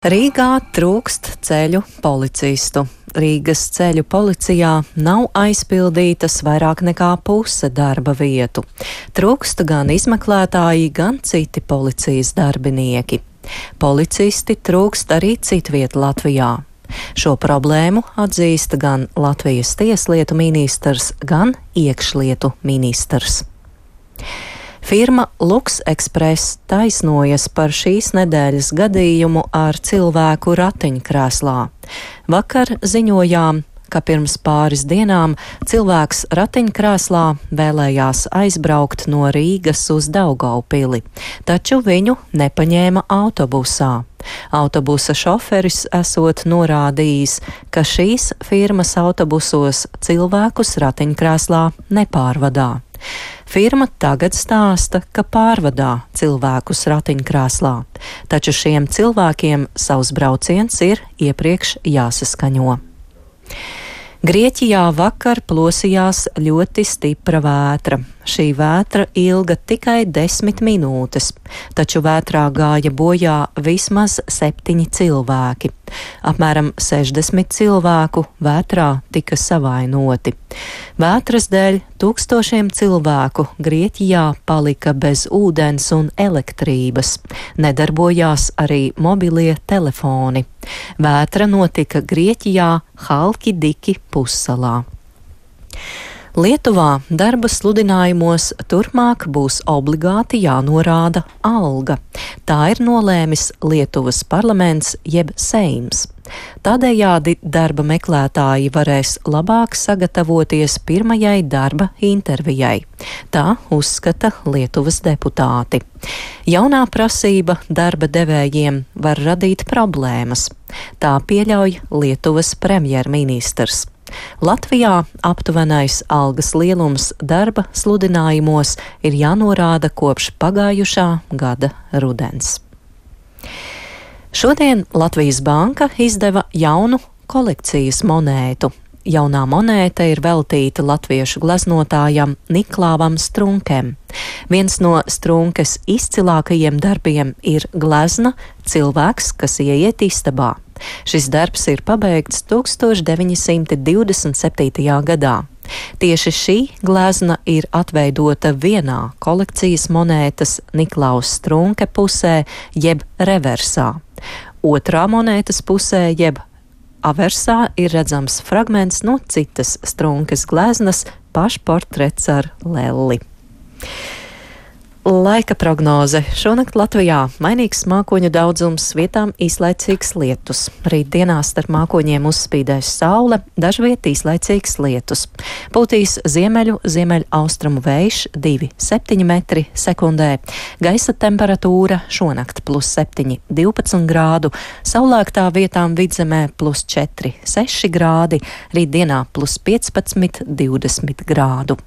Rīgā trūkst ceļu policistu. Rīgas ceļu policijā nav aizpildītas vairāk nekā puse darba vietu. Trūkst gan izmeklētāji, gan citi policijas darbinieki. Policisti trūkst arī citviet Latvijā. Šo problēmu atzīst gan Latvijas tieslietu ministrs, gan iekšlietu ministrs. Firma Lux Express taisnojas par šīs nedēļas gadījumu ar cilvēku ratiņkrēslā. Vakar ziņojām, ka pirms pāris dienām cilvēks ratiņkrēslā vēlējās aizbraukt no Rīgas uz Daugavpili, taču viņu nepaņēma autobusā. Autobusa šoferis esot norādījis, ka šīs firmas autobusos cilvēkus ratiņkrēslā nepārvadā. Firma tagad stāsta, ka pārvadā cilvēkus ratiņkrēslā, taču šiem cilvēkiem savs brauciens ir iepriekš jāsaskaņo. Grieķijā vakar plosījās ļoti stipra vētra. Šī vētra ilga tikai 10 minūtes, taču vētrā gāja bojā vismaz 7 cilvēki. Apmēram 60 cilvēku vētrā tika savainoti. Vētras dēļ tūkstošiem cilvēku Grieķijā palika bez ūdens un elektrības. Nedarbojās arī mobilie telefoni. Vētra notika Grieķijā Halkidiki pussalā. Lietuvā darba sludinājumos turpmāk būs obligāti jānorāda alga. Tā ir nolēmis Lietuvas parlaments jeb Seims. Tādējādi darba meklētāji varēs labāk sagatavoties pirmajai darba intervijai. Tā uzskata Lietuvas deputāti. Jaunā prasība darba devējiem var radīt problēmas. Tā pieļauj Lietuvas premjerministrs. Latvijā aptuvenais algas lielums darba sludinājumos ir jānorāda kopš pagājušā gada rudens. Šodien Latvijas Banka izdeva jaunu kolekcijas monētu. Jaunā monēta ir veltīta latviešu gleznotājam Niklāvam Strunkam. Viens no Strunkes izcilākajiem darbiem ir glezna Cilvēks, kas ieiet istabā. Šis darbs ir pabeigts 1927. gadā. Tieši šī glezna ir atveidota vienā kolekcijas monētas Niklaus Strunke pusē, jeb reversā. Otrā monētas pusē, jeb aversā, ir redzams fragments no citas Strunkes gleznas - pašportrets ar lelli. Laika prognoze. Šonakt Latvijā mainīgs mākoņu daudzums, vietām īslaicīgs lietus. Rīt dienā starp mākoņiem uzspīdēs saule, dažviet īslaicīgs lietus. Pūtīs ziemeļaustrumu vējš 2,7 metri sekundē. Gaisa temperatūra šonakt +7, 12 grādu, saulēktā vietām vidzemē +4, 6 grādi, rīt dienā +15, 20 grādu.